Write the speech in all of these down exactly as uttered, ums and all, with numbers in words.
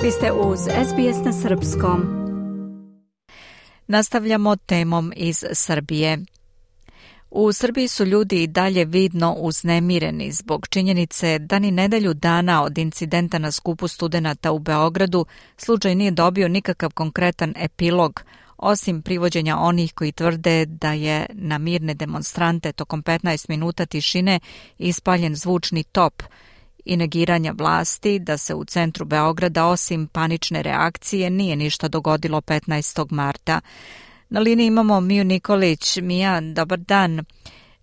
Vi ste uz S B S na srpskom. Nastavljamo temom iz Srbije. U Srbiji su ljudi i dalje vidno uznemireni zbog činjenice da ni nedelju dana od incidenta na skupu studenata u Beogradu slučaj nije dobio nikakav konkretan epilog, osim privođenja onih koji tvrde da je na mirne demonstrante tokom petnaest minuta tišine ispaljen zvučni top i negiranja vlasti da se u centru Beograda osim panične reakcije nije ništa dogodilo petnaestog marta. Na liniji imamo Miju Nikolić. Mija, dobar dan.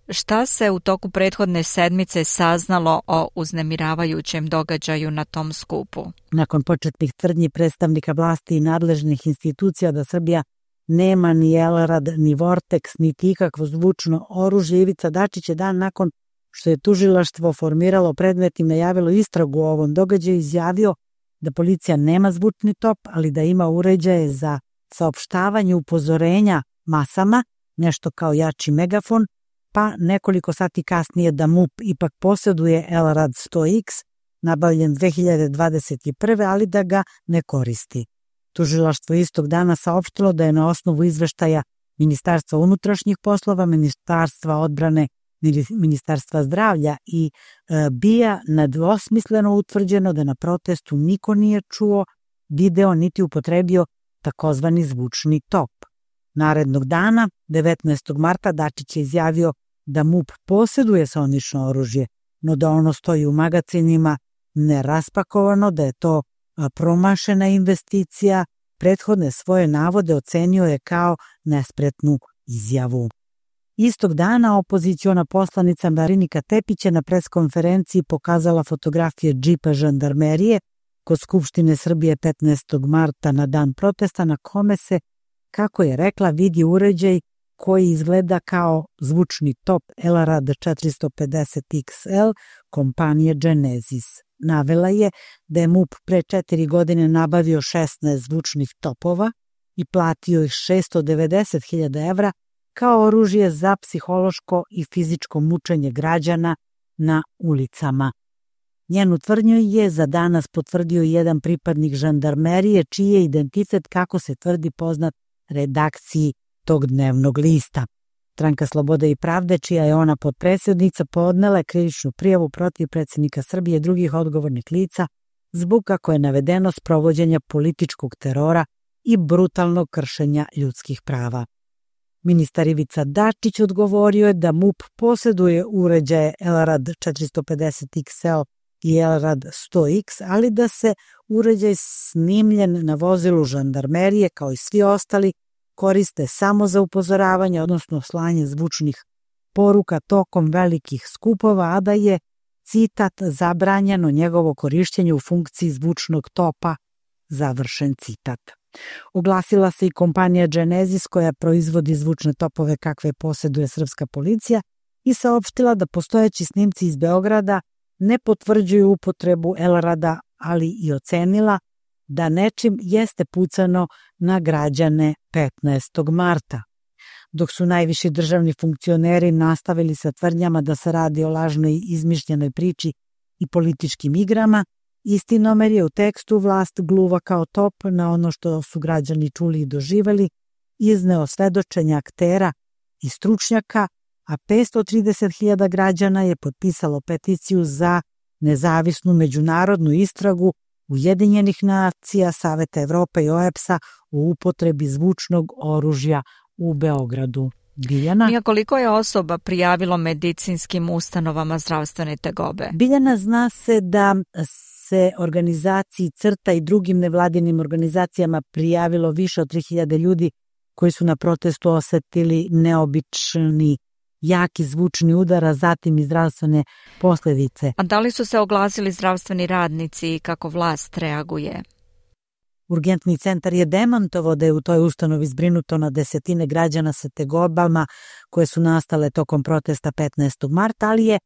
Šta se u toku prethodne sedmice saznalo o uznemiravajućem događaju na tom skupu? Nakon početnih tvrdnji predstavnika vlasti i nadležnih institucija da Srbija nema ni Elrad, ni Vorteks, niti ikakvo zvučno oružje, Ivica Dačić je dan nakon što je tužilaštvo formiralo predmet i najavilo istragu o ovom događaju izjavio da policija nema zvučni top, ali da ima uređaje za saopštavanje upozorenja masama, nešto kao jači megafon, pa nekoliko sati kasnije da MUP ipak posjeduje Elrad sto iks, nabavljen dve hiljade dvadeset prve, ali da ga ne koristi. Tužilaštvo istog dana saopštilo da je na osnovu izveštaja Ministarstva unutrašnjih poslova, Ministarstva odbrane, Ministarstva zdravlja i e, BIA nedvosmisleno utvrđeno da na protestu niko nije čuo, video niti upotrebio takozvani zvučni top. Narednog dana, devetnaestog marta, Dačić je izjavio da MUP posjeduje saonično oružje, no da ono stoji u magacinima neraspakovano, da je to promašena investicija. Prethodne svoje navode ocenio je kao nespretnu izjavu. Istog dana opoziciona poslanica Marinika Tepić je na preskonferenciji pokazala fotografije džipa žandarmerije kod Skupštine Srbije petnaestog marta na dan protesta, na kome se, kako je rekla, vidi uređaj koji izgleda kao zvučni top Elrad četiristo pedeset iks el kompanije Genesis. Navela je da je MUP pre četiri godine nabavio šesnaest zvučnih topova i platio ih šesto devedeset hiljada evra kao oružje za psihološko i fizičko mučenje građana na ulicama. Njenu tvrdnju je za danas potvrdio jedan pripadnik žandarmerije, čiji je identitet, kako se tvrdi, poznat redakciji tog dnevnog lista. Stranka Slobode i pravde, čija je ona potpredsjednica, podnela je krivičnu prijavu protiv predsjednika Srbije i drugih odgovornih lica zbog, kako je navedeno, sprovođenja političkog terora i brutalnog kršenja ljudskih prava. Ministar Ivica Dačić odgovorio je da MUP posjeduje uređaje Elrad četiristo pedeset iks el i Elrad sto iks, ali da se uređaj snimljen na vozilu žandarmerije, kao i svi ostali, koriste samo za upozoravanje, odnosno slanje zvučnih poruka tokom velikih skupova, a da je, citat, zabranjeno njegovo korištenje u funkciji zvučnog topa, završen citat. Oglasila se i kompanija Genesis, koja proizvodi zvučne topove kakve posjeduje srpska policija, i saopštila da postojeći snimci iz Beograda ne potvrđuju upotrebu Elrada, ali i ocenila da nečim jeste pucano na građane petnaestog marta. Dok su najviši državni funkcioneri nastavili sa tvrdnjama da se radi o lažnoj izmišljenoj priči i političkim igrama, Istinomer je u tekstu vlast gluva kao top na ono što su građani čuli i doživeli, izneo svedočenja aktera i stručnjaka, a petsto trideset hiljada građana je potpisalo peticiju za nezavisnu međunarodnu istragu Ujedinjenih nacija, Saveta Evrope i O E B S-a o upotrebi zvučnog oružja u Beogradu. Biljana? Mija, koliko je osoba prijavilo medicinskim ustanovama zdravstvene tegobe? Biljana, zna se da se organizaciji CRTA i drugim nevladinim organizacijama prijavilo više od tri hiljade ljudi koji su na protestu osetili neobični jaki zvučni udar, a zatim i zdravstvene posljedice. A da li su se oglasili zdravstveni radnici i kako vlast reaguje? Urgentni centar je demantovao da je u toj ustanovi zbrinuto na desetine građana sa tegobama koje su nastale tokom protesta petnaestog marta, ali je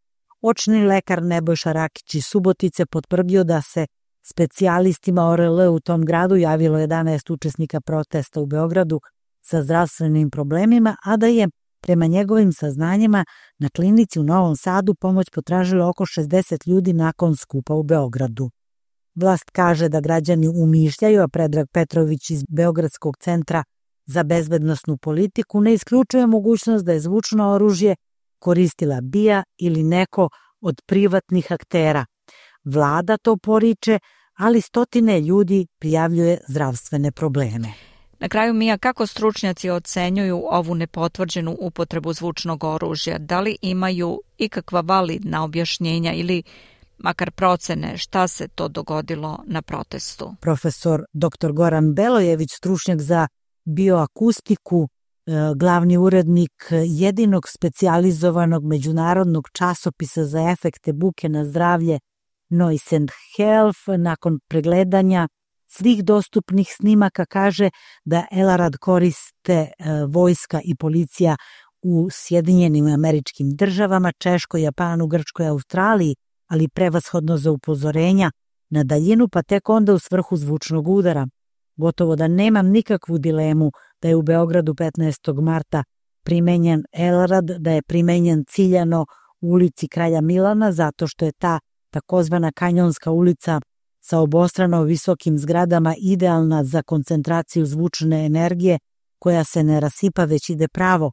očni lekar Nebojša Rakić iz Subotice potvrdio da se specijalistima O R L u tom gradu javilo jedanaest učesnika protesta u Beogradu sa zdravstvenim problemima, a da je prema njegovim saznanjima na klinici u Novom Sadu pomoć potražilo oko šezdeset ljudi nakon skupa u Beogradu. Vlast kaže da građani umišljaju, a Predrag Petrović iz Beogradskog centra za bezbednosnu politiku ne isključuje mogućnost da je zvučno oružje koristila B I A ili neko od privatnih aktera. Vlada to poriče, ali stotine ljudi prijavljuje zdravstvene probleme. Na kraju, Mija, kako stručnjaci ocenjuju ovu nepotvrđenu upotrebu zvučnog oružja? Da li imaju ikakva validna objašnjenja ili makar procene šta se to dogodilo na protestu? Profesor doktor Goran Belojević, stručnjak za bioakustiku, glavni urednik jedinog specijalizovanog međunarodnog časopisa za efekte buke na zdravlje Noise and Health, nakon pregledanja svih dostupnih snimaka kaže da Elarad koriste vojska i policija u Sjedinjenim Američkim Državama, Češkoj, Japanu, Grčkoj, Australiji, ali prevashodno za upozorenja na daljinu, pa tek onda u svrhu zvučnog udara. Gotovo da nemam nikakvu dilemu da je u Beogradu petnaestog marta primenjen Elarad, da je primenjen ciljano u ulici Kralja Milana, zato što je ta takozvana kanjonska ulica sa obostrano visokim zgradama idealna za koncentraciju zvučne energije koja se ne rasipa već ide pravo.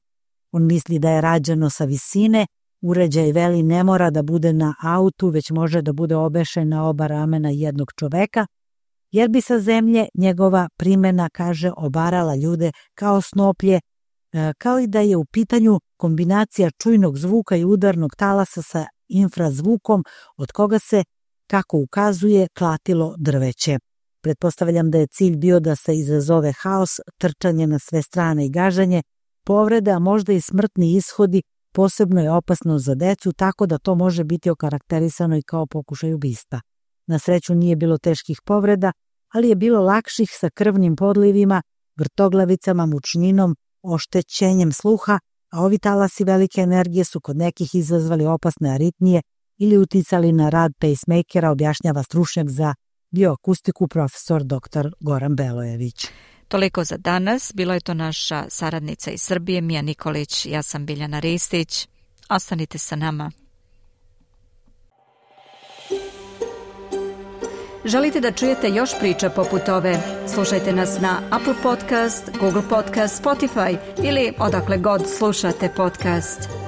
On misli da je rađeno sa visine, uređaj veli ne mora da bude na autu, već može da bude obešen na oba ramena jednog čoveka, jer bi sa zemlje njegova primena, kaže, obarala ljude kao snoplje, kao i da je u pitanju kombinacija čujnog zvuka i udarnog talasa sa infrazvukom, od koga se, kako ukazuje, klatilo drveće. Pretpostavljam da je cilj bio da se izazove haos, trčanje na sve strane i gaženje, povrede, a možda i smrtni ishodi. Posebno je opasno za decu, tako da to može biti okarakterisano i kao pokušaj ubistva. Na sreću nije bilo teških povreda, ali je bilo lakših sa krvnim podlivima, vrtoglavicama, mučninom, oštećenjem sluha, a ovi talasi velike energije su kod nekih izazvali opasne aritmije ili uticali na rad pacemakera, objašnjava stručnjak za bioakustiku profesor doktor Goran Belojević. Toliko za danas. Bilo je to naša saradnica iz Srbije, Mija Nikolić. Ja sam Biljana Ristić. Ostanite sa nama. Želite da čujete još priča poput ove? Slušajte nas na Apple Podcast, Google Podcast, Spotify ili odakle god slušate podcast.